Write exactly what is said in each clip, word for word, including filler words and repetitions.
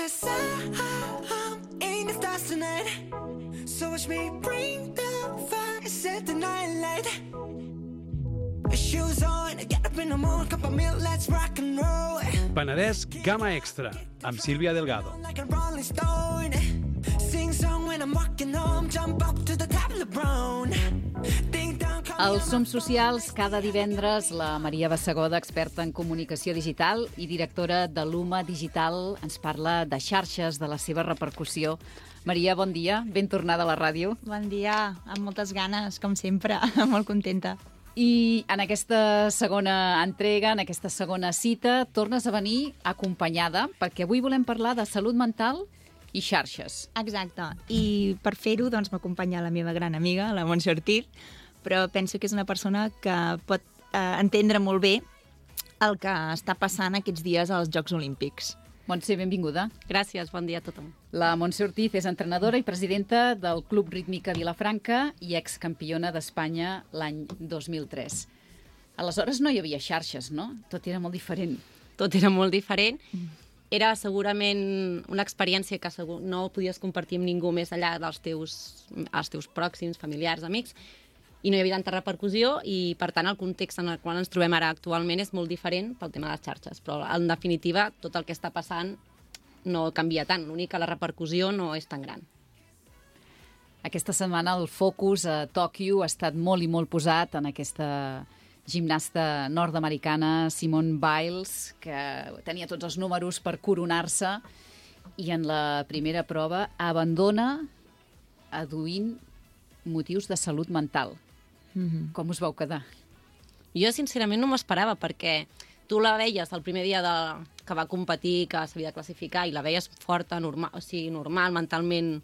sun in the stars tonight. So watch me bring the fire, set the night light. Shoes on, get up in the morning, cup of milk, let's rock and roll. Penedès Gama Extra, amb Sílvia Delgado. Like a rolling stone. Sing song when I'm walking home, jump up to the top of the brown. Ding dong. Als Som Socials, cada divendres, la Maria Bassegoda, experta en comunicació digital i directora de l'Uma Digital, ens parla de xarxes, de la seva repercussió. Maria, bon dia, ben tornada a la ràdio. Bon dia, amb moltes ganes, com sempre, molt contenta. I en aquesta segona entrega, en aquesta segona cita, tornes a venir acompanyada, perquè avui volem parlar de salut mental i xarxes. Exacte, i per fer-ho doncs, m'acompanya la meva gran amiga, la Montse Ortiz, però penso que és una persona que pot eh, entendre molt bé el que està passant aquests dies als Jocs Olímpics. Montse, benvinguda. Gràcies, bon dia a tothom. La Montse Ortiz és entrenadora i presidenta del Club Rítmica Vilafranca i excampiona d'Espanya l'any dos mil tres. Aleshores no hi havia xarxes, no? Tot era molt diferent. Tot era molt diferent. Era segurament una experiència que segur no podies compartir amb ningú més enllà dels teus, els teus pròxims, familiars, amics, i no hi havia tanta repercussió i, per tant, el context en el qual ens trobem ara actualment és molt diferent pel tema de les xarxes. Però, en definitiva, tot el que està passant no canvia tant. L'únic que la repercussió no és tan gran. Aquesta setmana el focus a Tòquio ha estat molt i molt posat en aquesta gimnasta nord-americana Simone Biles, que tenia tots els números per coronar-se i en la primera prova abandona aduint motius de salut mental. Mm-hmm. Com us vau quedar? Jo, sincerament, no m'ho esperava, perquè tu la veies el primer dia de, que va competir, que s'havia de classificar, i la veies forta, normal, o sigui, normal, mentalment,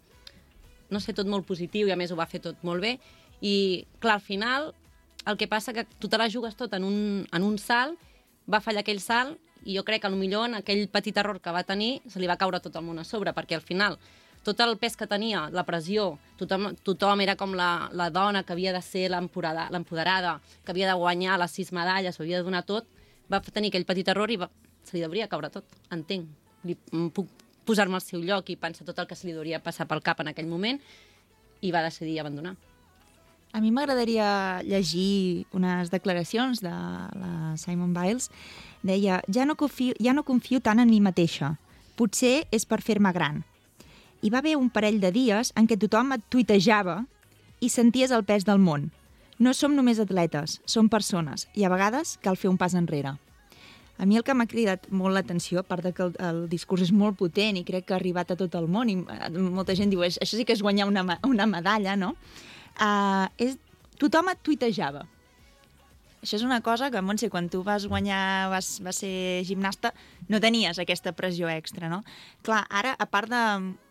no sé, tot molt positiu, i a més ho va fer tot molt bé. I, clar, al final, el que passa que tu te la jugues tot en un, en un salt, va fallar aquell salt, i jo crec que potser en aquell petit error que va tenir se li va caure tot el món a sobre, perquè al final tot el pes que tenia, la pressió, tothom, tothom era com la, la dona que havia de ser l'empoderada, que havia de guanyar les sis medalles, ho havia de donar tot, va tenir aquell petit error i va, se li hauria caure tot, entenc. Li, puc posar-me al seu lloc i pensar tot el que se li hauria passar pel cap en aquell moment i va decidir abandonar. A mi m'agradaria llegir unes declaracions de la Simone Biles. Deia, ja no confio, ja no confio tant en mi mateixa. Potser és per fer-me gran. Hi va haver un parell de dies en què tothom et tuitejava i senties el pes del món. No som només atletes, som persones, i a vegades cal fer un pas enrere. A mi el que m'ha cridat molt l'atenció, a part de que el, el discurs és molt potent i crec que ha arribat a tot el món, i molta gent diu, això sí que és guanyar una, una medalla, no? Uh, és, tothom et tuitejava. Això és una cosa que, Montse, quan tu vas guanyar, vas, vas ser gimnasta, no tenies aquesta pressió extra, no? Clar, ara, a part de,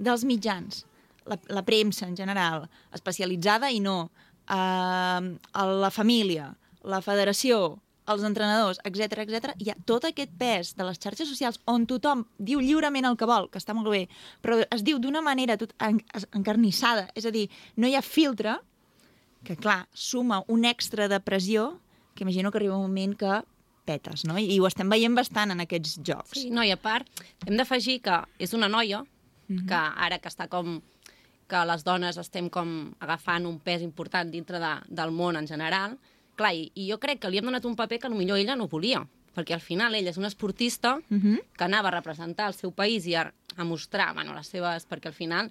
dels mitjans, la, la premsa en general, especialitzada i no, eh, la família, la federació, els entrenadors, etcètera, etcètera, hi ha tot aquest pes de les xarxes socials on tothom diu lliurement el que vol, que està molt bé, però es diu d'una manera tot encarnissada, és a dir, no hi ha filtre, que, clar, suma un extra de pressió que imagino que arriba un moment que petes, no? I ho estem veient bastant en aquests jocs. Sí, no, i a part, hem d'afegir que és una noia, mm-hmm. que ara que està com que les dones estem com agafant un pes important dintre de, del món en general, clar, i, i jo crec que li hem donat un paper que potser ella no volia, perquè al final ella és una esportista mm-hmm. que anava a representar el seu país i a, a mostrar, bueno, les seves... perquè al final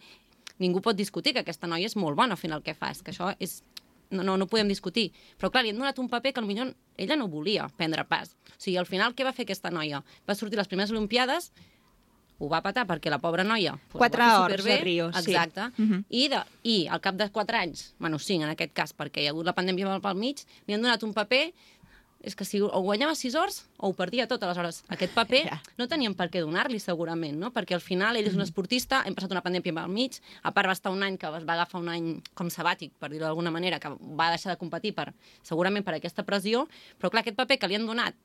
ningú pot discutir que aquesta noia és molt bona fent el que fa, és que això és... No, no, no podem discutir. Però, clar, li hem donat un paper que potser ella no volia prendre pas. O sigui, al final, què va fer aquesta noia? Va sortir a les primeres Olimpiades, ho va patar perquè la pobra noia... Quatre hores a Rio, sí. Exacte. Uh-huh. I, de, I al cap de quatre anys, bueno, cinc en aquest cas, perquè hi ha hagut la pandèmia pel mig, li han donat un paper... És que si o guanyava sis hores o ho perdia tot. Aleshores, aquest paper no teníem per què donar-li, segurament, no? Perquè al final ell és un esportista, hem passat una pandèmia pel mig, a part va estar un any que es va agafar un any com sabàtic, per dir-ho d'alguna manera, que va deixar de competir per, segurament per aquesta pressió, però clar, aquest paper que li han donat,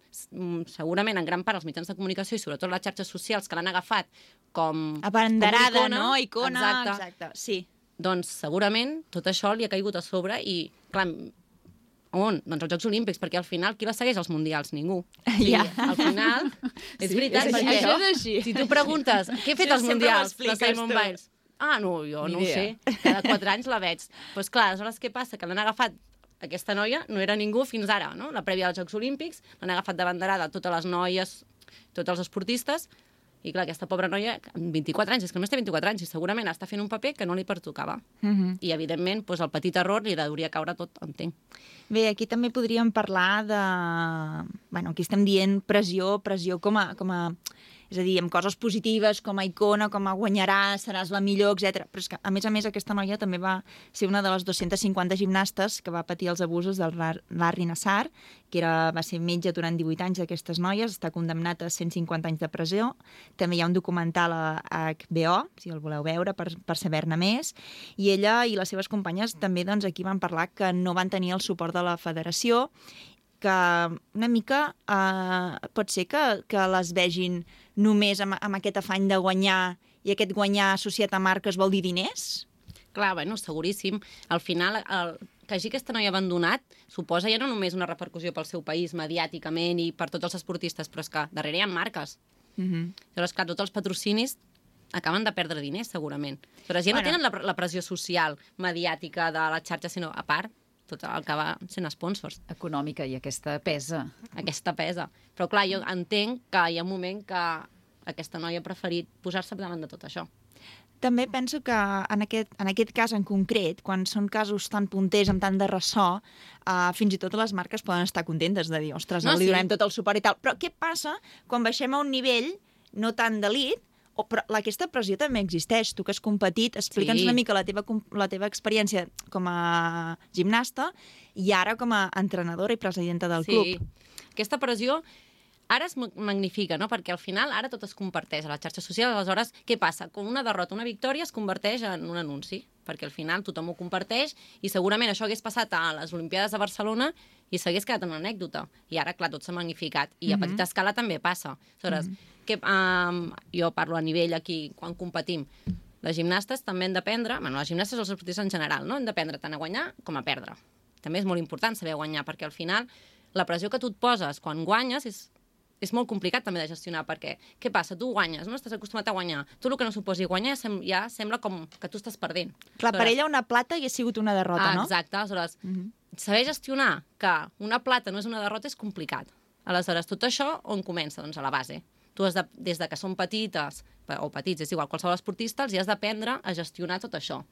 segurament en gran part els mitjans de comunicació i sobretot les xarxes socials que l'han agafat com... Abanderada, com icona, no? Icona, exacte. exacte. Sí. Doncs segurament tot això li ha caigut a sobre i, clar, On? Doncs als Jocs Olímpics, perquè al final qui la segueix als Mundials? Ningú. Ja. Sí, al final, és Sí, veritat, és així, perquè això és així. si tu preguntes què he fet Sí, als sempre Mundials de m'expliques Simone tu. Biles? Ah, no, jo Ni no ho idea. sé. Cada quatre anys la veig. Doncs pues clar, aleshores què passa? Que l'han agafat aquesta noia, no era ningú fins ara, no? La prèvia dels Jocs Olímpics, l'han agafat de banderada totes les noies, tots els esportistes, i clar, aquesta pobra noia, amb vint-i-quatre anys, és que només té vint-i-quatre anys, i segurament està fent un paper que no li pertocava. Uh -huh. I, evidentment, doncs, el petit error li hauria caure tot, entenc. Bé, aquí també podríem parlar de... Bueno, aquí estem dient pressió, pressió com a... Com a... És a dir, amb coses positives, com a icona, com a guanyaràs, seràs la millor, etcètera. Però és que, a més a més, aquesta noia també va ser una de les dues-centes cinquanta gimnastes que va patir els abusos del Larry Nassar, que era, va ser metge durant divuit anys d'aquestes noies, està condemnat a cent cinquanta anys de presó. També hi ha un documental a H B O, si el voleu veure, per, per saber-ne més. I ella i les seves companyes també doncs, aquí van parlar que no van tenir el suport de la federació, que una mica eh, pot ser que, que les vegin només amb, amb aquest afany de guanyar, i aquest guanyar associat a marques vol dir diners? Clar, bueno, seguríssim. Al final, el, que hagi aquesta noia abandonat suposa ja no només una repercussió pel seu país, mediàticament i per tots els esportistes, però és que darrere hi ha marques. Uh -huh. Llavors, clar, tots els patrocinis acaben de perdre diners, segurament. Però ja no Bueno. tenen la, la pressió social, mediàtica de la xarxa, sinó, a part, tot el que va sent sponsors. Econòmica, i aquesta pesa. Aquesta pesa. Però, clar, jo entenc que hi ha un moment que aquesta noia ha preferit posar-se davant de tot això. També penso que en aquest, en aquest cas en concret, quan són casos tan punters, amb tant de ressò, uh, fins i tot les marques poden estar contentes de dir, ostres, No, no, li sí. donem tot el suport i tal. Però què passa quan baixem a un nivell no tan d'elit, o, però aquesta pressió també existeix. Tu que has competit, explica'ns Sí. una mica la teva, com- la teva experiència com a gimnasta i ara com a entrenadora i presidenta del Sí. club. Aquesta pressió ara es ma- magnifica, no? Perquè al final ara tot es comparteix a la xarxa social. Aleshores, què passa? Com una derrota, una victòria es converteix en un anunci, perquè al final tothom ho comparteix i segurament això hagués passat a les Olimpiades de Barcelona i s'hagués quedat en una anècdota. I ara, clar, tot s'ha magnificat. I a petita escala també passa. Aleshores, que, um, jo parlo a nivell aquí, quan competim, les gimnastes també han d'aprendre, bueno, les gimnastes o els esportistes en general, no? Han d'aprendre tant a guanyar com a perdre. També és molt important saber guanyar, perquè al final la pressió que tu et poses quan guanyes és, és molt complicat també de gestionar, perquè què passa? Tu guanyes, no? Estàs acostumat a guanyar. Tu el que no suposi guanyar ja, sem ja sembla com que tu estàs perdent. Clar, per ella una plata hi ha sigut una derrota, ah, no? Exacte, aleshores, saber gestionar que una plata no és una derrota és complicat. Aleshores, tot això on comença? Doncs a la base. Tu has de, des de que són petites, o petits, és igual, qualsevol esportista, els hi has d'aprendre a gestionar tot això.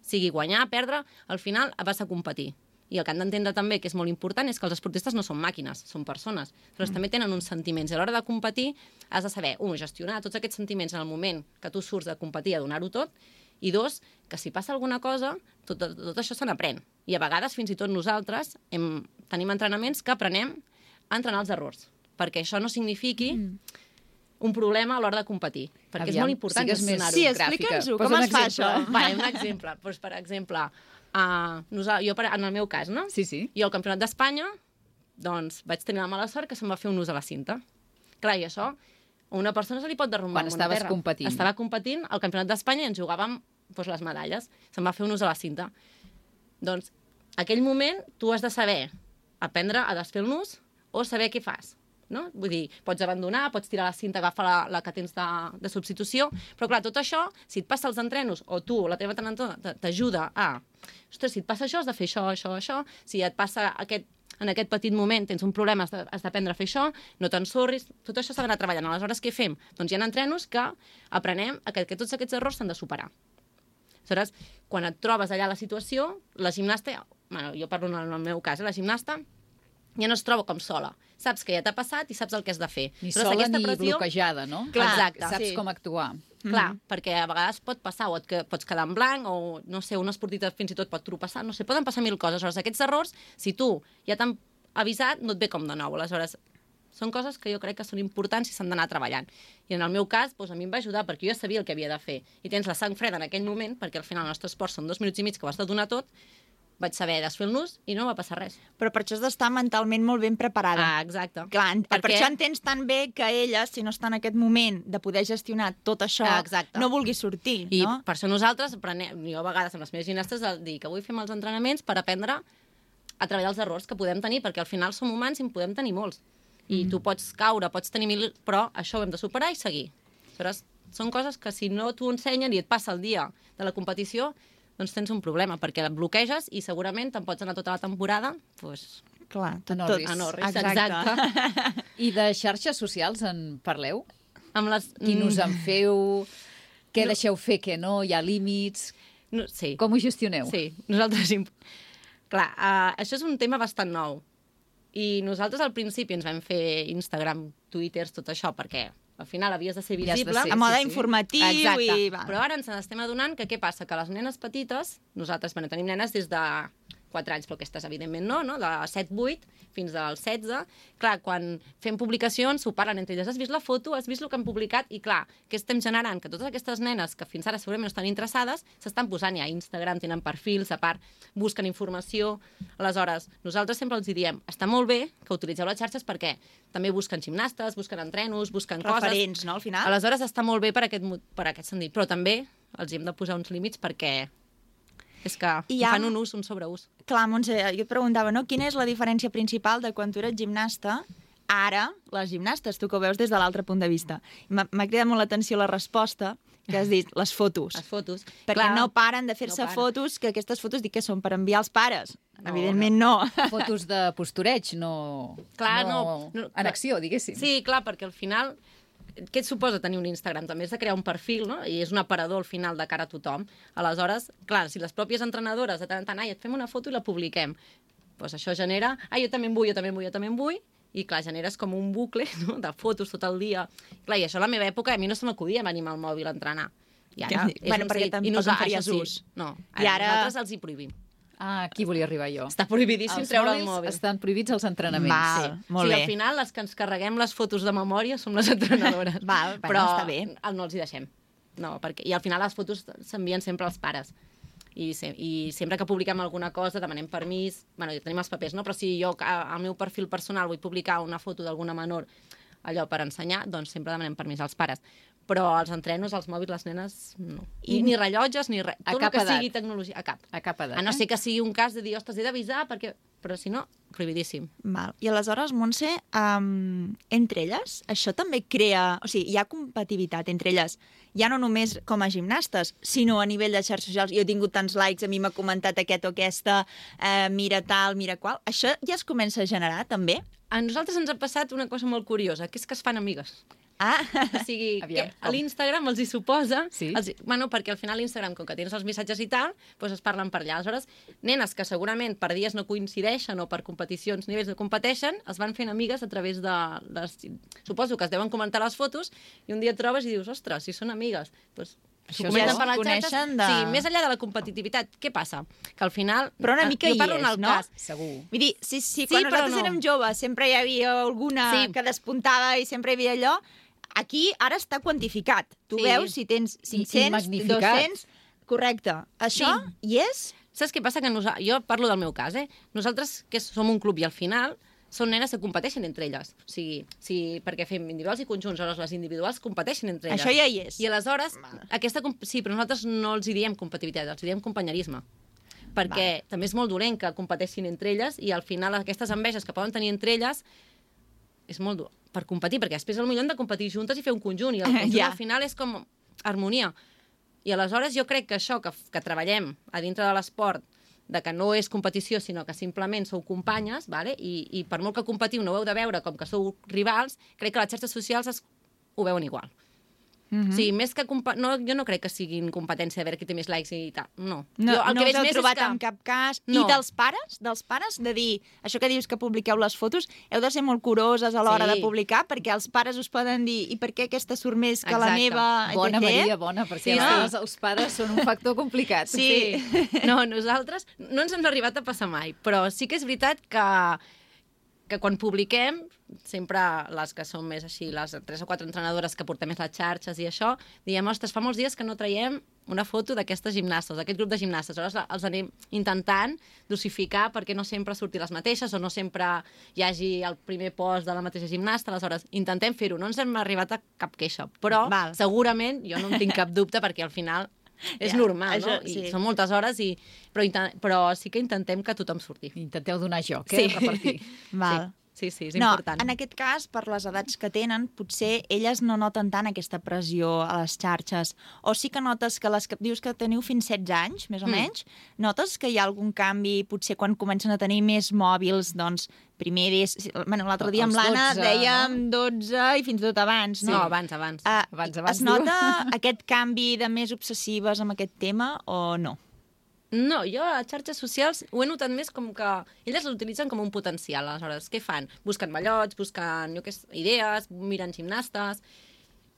Sigui guanyar, perdre, al final vas a competir. I el que han d'entendre també, que és molt important, és que els esportistes no són màquines, són persones. Però mm. també tenen uns sentiments. I a l'hora de competir has de saber, un, gestionar tots aquests sentiments en el moment que tu surts de competir a donar-ho tot, i dos, que si passa alguna cosa, tot, tot, tot això se n'aprèn. I a vegades, fins i tot nosaltres, hem, tenim entrenaments que aprenem a entrenar els errors. Perquè això no signifiqui mm. un problema a l'hora de competir. Perquè Aviam, és molt important sigues més gestionar-ho. Sí, gràfica. explica'ns-ho, Posa com un es fa exemple. això? Vale, un exemple. Doncs, per exemple, uh, nosaltres, jo, per, en el meu cas, no? Sí, sí. Jo al Campionat d'Espanya, doncs, vaig tenir la mala sort que se'm va fer un ús a la cinta. Clar, i això, a una persona se li pot derrumbar Quan amb una estaves terra. competint. Estava competint al Campionat d'Espanya i ens jugàvem doncs, les medalles. Se'm va fer un ús a la cinta. Doncs, aquell moment, tu has de saber aprendre a desfer el nus o saber què fas. No? Vull dir, pots abandonar, pots tirar la cinta, agafar la, la que tens de, de substitució, però clar, tot això, si et passa els entrenos, o tu, o la teva entrenadora, t'ajuda a... Ostres, si et passa això, has de fer això, això, això. Si et passa aquest, en aquest petit moment, tens un problema, has de- has d'aprendre a fer això, no t'ensorris, tot això s'ha d'anar treballant. Aleshores, què fem? Doncs hi ha entrenos que aprenem a que, que tots aquests errors s'han de superar. Aleshores, quan et trobes allà a la situació, la gimnasta, bueno, jo parlo en el meu cas, eh, la gimnasta ja no es troba com sola. Saps que ja t'ha passat i saps el que has de fer. Ni Aleshores, sola aquesta ni pressió- bloquejada, no? Clar, Exacte, sí. saps com actuar. Clar, perquè a vegades pot passar, o et que, pots quedar en blanc, o, no sé, un esportista fins i tot pot tropeçar, no sé, poden passar mil coses. Aleshores, aquests errors, si tu ja t'han avisat, no et ve com de nou. Aleshores, són coses que jo crec que són importants i s'han d'anar treballant. I en el meu cas, doncs, a mi em va ajudar, perquè jo ja sabia el que havia de fer. I tens la sang freda en aquell moment, perquè al final el nostre esport són dos minuts i mig que ho has de donar tot, vaig saber desfer el nus i no va passar res. Però per això has d'estar mentalment molt ben preparada. Ah, exacte. Clar, en- per Perquè- això entens tan bé que ella, si no està en aquest moment de poder gestionar tot això, Ah, exacte. no vulgui sortir, I no? per això nosaltres, aprenem, jo a vegades amb les meves gimnastes, el dir que avui fem els entrenaments per aprendre a treballar els errors que podem tenir, perquè al final som humans i en podem tenir molts. I mm. tu pots caure, pots tenir mil... Però això ho hem de superar i seguir. Aleshores, són coses que si no t'ho ensenyen i et passa el dia de la competició, doncs tens un problema, perquè et bloqueges i segurament te'n pots anar tota la temporada, doncs... Clar, tot, A tot. Norris. A Norris, Exacte. exacte. I de xarxes socials en parleu? Amb les... Quin us en feu? Què No. deixeu fer, què no? Hi ha límits? No, sí. Com ho gestioneu? Sí, nosaltres... imp- Clar, uh, això és un tema bastant nou. I nosaltres al principi ens vam fer Instagram, Twitters, tot això, perquè al final havies de ser I has de visible. ser, A mode sí, sí. informatiu Exacte. i... Va. Però ara ens n'estem adonant que què passa? Que les nenes petites, nosaltres, bueno, tenim nenes des de quatre anys, però aquestes evidentment no, no? De set vuit fins als setze. Clar, quan fem publicacions s'ho parlen entre elles. Has vist la foto? Has vist el que han publicat? I clar, què estem generant? Que totes aquestes nenes que fins ara segurament no estan interessades s'estan posant ja a Instagram, tenen perfils, a part busquen informació. Aleshores, nosaltres sempre els diem, està molt bé que utilitzeu les xarxes perquè també busquen gimnastes, busquen entrenos, busquen Referents, coses. no, al final? Aleshores està molt bé per aquest, mo- per aquest sentit, però també els hi hem de posar uns límits perquè és que I I hi ha- fan un ús, un sobreús. Clar, Montse, jo et preguntava, no? Quina és la diferència principal de quan tu eres gimnasta ara, les gimnastes, tu que ho veus des de l'altre punt de vista. M'ha m'ha cridat molt l'atenció la resposta que has dit, les fotos. Les fotos. Perquè Clar, no paren de fer-se no paren. fotos, que aquestes fotos dic que són per enviar als pares. No, Evidentment no. Fotos de postureig, no, Clar, no, no, no, en clar. acció, diguéssim. Sí, clar, perquè al final... Què et suposa tenir un Instagram? També és de crear un perfil, no? I és un aparador al final de cara a tothom. Aleshores, clar, si les pròpies entrenadores de tant en tant, ai, et fem una foto i la publiquem, doncs això genera, ai, jo també en vull, jo també en vull, jo també en vull, i clar, generes com un bucle, no?, de fotos tot el dia. Clar, i això a la meva època a mi no se m'acudia venir amb el mòbil a entrenar. I ara Que- és bueno, un perquè seguit. tampoc I nosaltres, en faries això ús. Sí. No, I ara, ara- nosaltres els hi prohibim. Ah, aquí volia arribar jo. Està prohibidíssim Els treure el mòbils mòbil. estan prohibits als entrenaments. Val. Sí, molt sí bé. al final les que ens carreguem les fotos de memòria som les entrenadores. Val, bueno, però està bé. el no els hi deixem. No, perquè, I al final les fotos s'envien sempre als pares. I, se, I sempre que publiquem alguna cosa demanem permís. Bueno, ja tenim els papers, no? Però si jo a- al meu perfil personal vull publicar una foto d'alguna menor allò per ensenyar, doncs sempre demanem permís als pares. Però els entrenos, els mòbils, les nenes, no. I, ni rellotges, ni res. A Tot cap el que edat. sigui tecnologia, a cap. A cap edat. A no eh? ser que sigui un cas de dir, ostres, he d'avisar, perquè... però si no, prohibidíssim. Val. I aleshores, Montse, um, entre elles, això també crea... O sigui, hi ha competitivitat entre elles, ja no només com a gimnastes, sinó a nivell de xarxes socials. Jo he tingut tants likes, a mi m'ha comentat aquest o aquesta, eh, mira tal, mira qual. Això ja es comença a generar, també? A nosaltres ens ha passat una cosa molt curiosa, que és que es fan amigues. Ah, O sigui, Aviam, que a l'Instagram els hi suposa... Sí? Els, bueno, perquè al final l'Instagram, com que tens els missatges i tal, doncs es parlen per allà. Aleshores, nenes que segurament per dies no coincideixen o per competicions, nivells no competeixen, es van fent amigues a través de les... Suposo que es deuen comentar les fotos i un dia et trobes i dius, ostres, si són amigues. Doncs, Això s'ho comenten es per les coneixen xarxes. de- Sí, més enllà de la competitivitat, què passa? Que al final... Però una mica jo hi parlo en és, el no? cas, Segur. vull dir, sí, sí, Sí, quan però nosaltres no. érem joves sempre hi havia alguna Sí. que despuntava i sempre hi havia allò. Aquí ara està quantificat. Tu Sí. veus si tens cinc-cents, magnificat. dos-cents... Correcte. Això hi és? Saps què passa? Que nosa... Jo parlo del meu cas, eh? Nosaltres, que som un club i al final són nenes que competeixen entre elles. O sigui, sí, perquè fem individuals i conjunts, aleshores les individuals competeixen entre elles. Això ja hi és. I aleshores, aquesta... comp- Sí, però nosaltres no els hi diem competitivitat, els hi diem companyerisme. Perquè Val. també és molt dolent que competeixin entre elles i al final aquestes enveges que poden tenir entre elles és molt dur per competir, perquè després potser han de competir juntes i fer un conjunt, i el conjunt Ja. al final és com harmonia. I aleshores jo crec que això, que, que treballem a dintre de l'esport, de que no és competició, sinó que simplement sou companyes, vale? I, i per molt que competiu no ho heu de veure com que sou rivals, crec que les xarxes socials es, ho veuen igual. Mm -hmm. O sigui, més que compa no, jo no crec que siguin competència de veure qui té més likes i tal. No. No, jo, el no que us veig heu més trobat és que... en cap cas. No. I dels pares? Dels pares de dir, això que dius que publiqueu les fotos, heu de ser molt curoses a l'hora Sí. de publicar, perquè els pares us poden dir i per què aquesta surt més que la Exacte. meva? Bona, etcètera. Maria, bona, perquè Sí, sí, no? no? els, els pares són un factor complicat. Sí. No, nosaltres no ens hem arribat a passar mai, però sí que és veritat que, que quan publiquem, sempre les que són més així, les tres o quatre entrenadores que portem més les xarxes i això, diem, ostres, fa molts dies que no traiem una foto d'aquestes gimnastes, d'aquest grup de gimnastes. Aleshores els anem intentant dosificar perquè no sempre surti les mateixes o no sempre hi hagi el primer post de la mateixa gimnasta. Aleshores intentem fer-ho. No ens hem arribat a cap queixa, però Val. segurament jo no en tinc cap dubte perquè al final és Ja, normal, això, no? I sí. són moltes hores, i... però, inten... però sí que intentem que tothom surti. Intenteu donar joc, eh? Sí. Repartir. Val. Sí, sí, és No, important. en aquest cas, per les edats que tenen, potser elles no noten tant aquesta pressió a les xarxes. O sí que notes que les que dius que teniu fins setze anys, més o Mm. menys, notes que hi ha algun canvi, potser quan comencen a tenir més mòbils, doncs, primer des... Bueno, l'altre dia amb Els l'Anna dotze, dèiem no? dotze i fins i tot abans, No, no? abans, abans. Ah, Abans, abans, es diu. nota aquest canvi de més obsessives amb aquest tema o no? No, jo a les xarxes socials ho he notat més com que elles l'utilitzen com un potencial. Aleshores, què fan? Busquen mallots, busquen jo què sé, idees, miren gimnastes,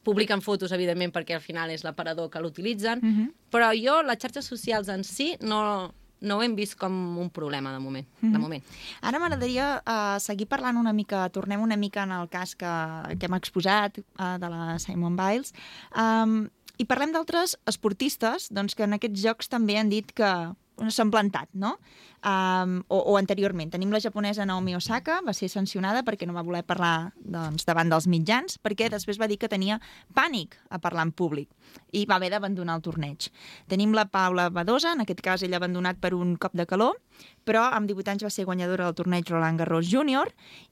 publiquen fotos, evidentment, perquè al final és l'aparador que l'utilitzen, Mhm. però jo les xarxes socials en si no, no ho hem vist com un problema de moment. Mhm. De moment. Ara m'agradaria uh, seguir parlant una mica, tornem una mica en el cas que, que hem exposat uh, de la Simone Biles, um, i parlem d'altres esportistes doncs, que en aquests jocs també han dit que s'han plantat, no? Um, o, o anteriorment. Tenim la japonesa Naomi Osaka, va ser sancionada perquè no va voler parlar doncs, davant dels mitjans, perquè després va dir que tenia pànic a parlar en públic i va haver d'abandonar el torneig. Tenim la Paula Badosa, en aquest cas ella ha abandonat per un cop de calor, però amb divuit anys va ser guanyadora del torneig Roland Garros Júnior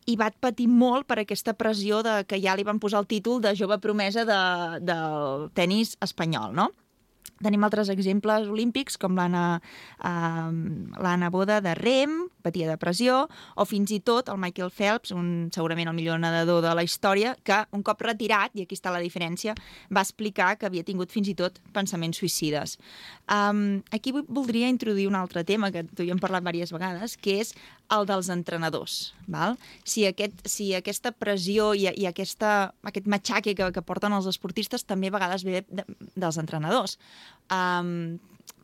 i va patir molt per aquesta pressió de que ja li van posar el títol de jove promesa de, del tennis espanyol, no? Tenim altres exemples olímpics, com l'Anna uh, l'Anna Boda de rem, patia depressió, o fins i tot el Michael Phelps, un, segurament el millor nedador de la història, que un cop retirat, i aquí està la diferència, va explicar que havia tingut fins i tot pensaments suïcides. Um, aquí voldria introduir un altre tema, que tu hi hem parlat diverses vegades, que és el dels entrenadors. Val? Si, aquest, si aquesta pressió i, i aquesta, aquest matxaque que, que porten els esportistes també a vegades ve de, dels entrenadors. Um,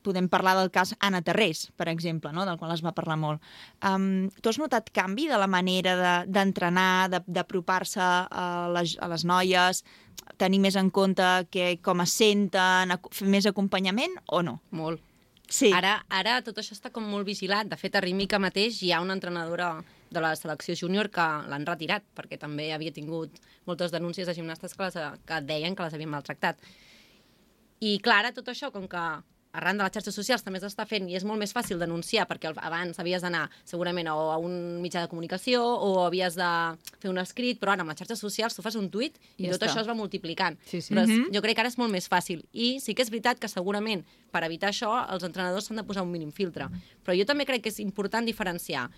podem parlar del cas Anna Terrés, per exemple, no? Del qual es va parlar molt. Um, tu has notat canvi de la manera d'entrenar, de, d'apropar-se a les, a les noies, tenir més en compte que, com es senten, fer més acompanyament o no? Molt. Sí. Ara, ara tot això està com molt vigilat. De fet, a Rímica mateix hi ha una entrenadora de la selecció júnior que l'han retirat, perquè també havia tingut moltes denúncies de gimnastes que, les, que deien que les havien maltractat. I clar, ara tot això, com que arran de les xarxes socials també s'està fent i és molt més fàcil denunciar, perquè abans havies d'anar segurament o a un mitjà de comunicació o havies de fer un escrit, però ara amb les xarxes socials tu fas un tuit i Ja tot està. això es va multiplicant. Sí, sí. Però Mhm. jo crec que ara és molt més fàcil. I sí que és veritat que segurament per evitar això els entrenadors s'han de posar un mínim filtre. Però jo també crec que és important diferenciar. O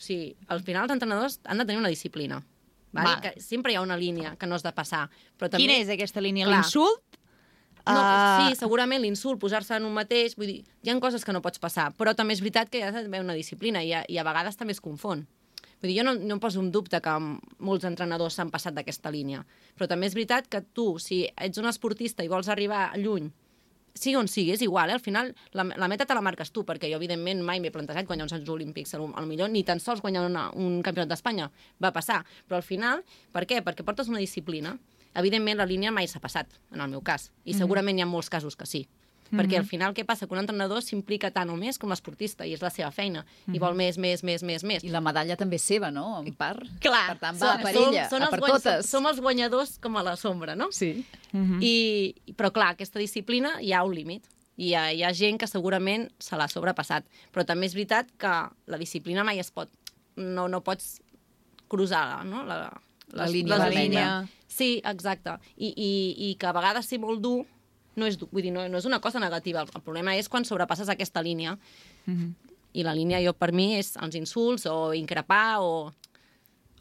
sigui, al final els entrenadors han de tenir una disciplina. Vale? Val. Que sempre hi ha una línia que no has de passar. Però també... Quina és aquesta línia? Clar. L'insult? No, Ah. sí, segurament l'insult, posar-se en un mateix, vull dir, hi ha coses que no pots passar, però també és veritat que hi ha d'haver una disciplina i a, i a vegades també es confon. Vull dir, jo no, no em poso en dubte que molts entrenadors s'han passat d'aquesta línia, però també és veritat que tu, si ets un esportista i vols arribar lluny, sigui on sigui, és igual, eh? Al final la, la meta te la marques tu, perquè jo evidentment mai m'he plantejat guanyar uns Jocs Olímpics, al millor ni tan sols guanyar una, un campionat d'Espanya, va passar, però al final, per què? Perquè portes una disciplina. Evidentment, la línia mai s'ha passat, en el meu cas, i segurament hi ha molts casos que sí. Perquè al final què passa? Que un entrenador s'implica tant o més com l'esportista, i és la seva feina, i vol més, més, més, més, més. I la medalla també és seva, no? En part. Clar. Per tant, va Som- per som- ella, són a els per guany- totes. Som els guanyadors com a la sombra, no? Sí. Mhm. I, però clar, aquesta disciplina hi ha un límit. I hi ha, hi ha gent que segurament se l'ha sobrepassat. Però també és veritat que la disciplina mai es pot... No, no pots cruzar, no? La, La les- línia les vermella. línies. Sí, exacte. I, i, I que a vegades ser molt dur no és, dur. Vull dir, no, no és una cosa negativa. El, el problema és quan sobrepasses aquesta línia. Mhm. I la línia, jo, per mi, és els insults o increpar o,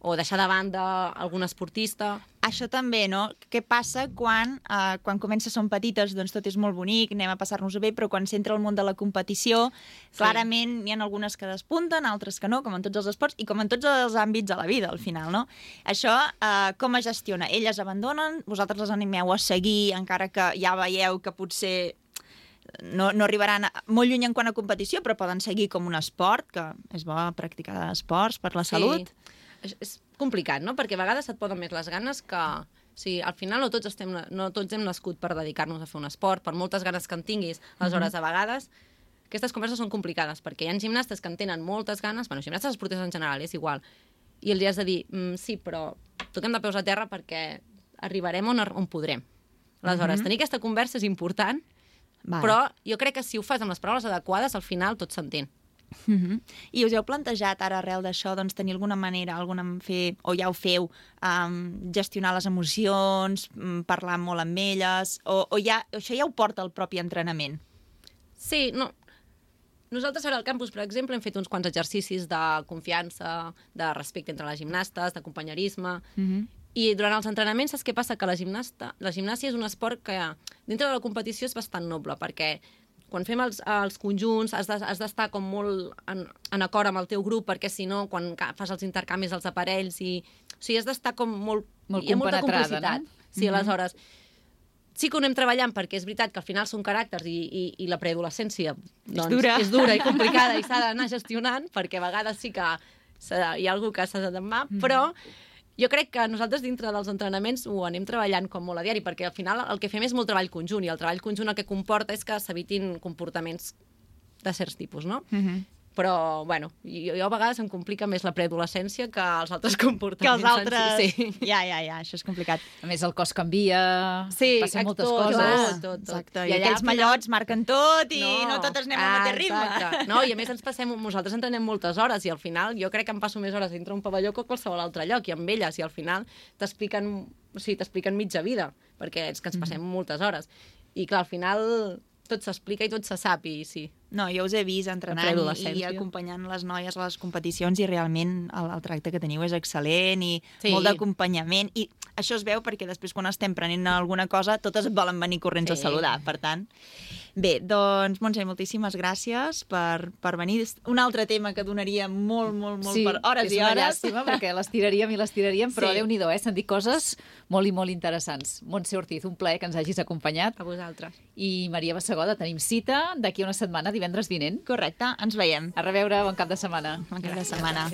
o deixar de banda algun esportista. Això també, no? Què passa quan, eh, quan comença són petites, doncs tot és molt bonic, anem a passar-nos-ho bé, però quan s'entra al món de la competició, Sí. clarament n'hi ha algunes que despunten, altres que no, com en tots els esports, i com en tots els àmbits de la vida, al final, no? Això, eh, com es gestiona? Elles abandonen, vosaltres les animeu a seguir, encara que ja veieu que potser no, no arribaran a, molt lluny en quant a competició, però poden seguir com un esport, que és bo practicar esports per la salut. És, és complicat, no? Perquè a vegades et poden més les ganes que... O sigui, al final no tots, estem, no tots hem nascut per dedicar-nos a fer un esport, per moltes ganes que en tinguis. Aleshores, a vegades, aquestes converses són complicades, perquè hi ha gimnastes que en tenen moltes ganes, bueno, gimnastes esportistes en general, és igual, i els has de dir, mm, sí, però toquem de peus a terra perquè arribarem on, on podrem. Aleshores, tenir aquesta conversa és important, Vale. Però jo crec que si ho fas amb les paraules adequades, al final tot s'entén. Uh -huh. I us heu plantejat ara arrel d'això doncs, tenir alguna manera, alguna fer, o ja ho feu, um, gestionar les emocions, um, parlar molt amb elles, o, o ja, això ja ho porta el propi entrenament? Sí, no... Nosaltres ara al campus, per exemple, hem fet uns quants exercicis de confiança, de respecte entre les gimnastes, de companyerisme, Uh -huh. i durant els entrenaments saps què passa? Que la, gimnasta, la gimnàsia és un esport que dintre de la competició és bastant noble, perquè quan fem els, els conjunts has de- has d'estar com molt en, en acord amb el teu grup, perquè si no, quan ca- fas els intercanvis dels aparells, i, o sigui, has d'estar com molt... Molt hi ha molta compenetrada, complicitat. no? Sí, mm-hmm. Aleshores, sí que ho anem treballant, perquè és veritat que al final són caràcters i, i, i la preadolescència doncs, dura. és dura i complicada i s'ha d'anar gestionant, perquè a vegades sí que s'ha- hi ha algú que s'ha de demà, mm. però jo crec que nosaltres dintre dels entrenaments ho anem treballant com molt a diari, perquè al final el que fem és molt treball conjunt, i el treball conjunt el que comporta és que s'evitin comportaments de certs tipus, no? Uh -huh. Però, bueno, jo, jo a vegades em complica més la preadolescència que els altres Que comportaments. els altres... Sí, sí. Ja, ja, ja, això és complicat. A més, el cos canvia, Sí, passen moltes tot, coses. clar. tot, tot. Exacte. I I, allà, aquells al final- mallots marquen tot i no, no totes anem al ah, mateix ritme. exacte. No, i a més ens passem, nosaltres entrenem moltes hores i al final jo crec que em passo més hores dintre un pavelló que a qualsevol altre lloc, i amb elles, i al final t'expliquen, o sigui, t'expliquen mitja vida, perquè és que ens passem mm. moltes hores. I clar, al final tot s'explica i tot se sap, i sí. No, jo us he vist La entrenant i, i preadolescència. acompanyant les noies a les competicions, i realment el, el tracte que teniu és excel·lent i Sí. molt d'acompanyament, i això es veu perquè després quan estem prenent alguna cosa totes et volen venir corrents Sí. a saludar, per tant. Bé, doncs, Montse, moltíssimes gràcies per, per venir. És un altre tema que donaria molt, molt, molt Sí, per hores és i una hores. llàstima, perquè les tiraríem i les tiraríem, però Sí. Déu-n'hi-do, eh? S'han dit coses molt i molt interessants. Montse Ortiz, un plaer que ens hagis acompanyat. A vosaltres. I Maria Bassegoda, tenim cita d'aquí a una setmana, divendres vinent. Correcte, ens veiem. A reveure, bon cap de setmana. Bon cap de setmana.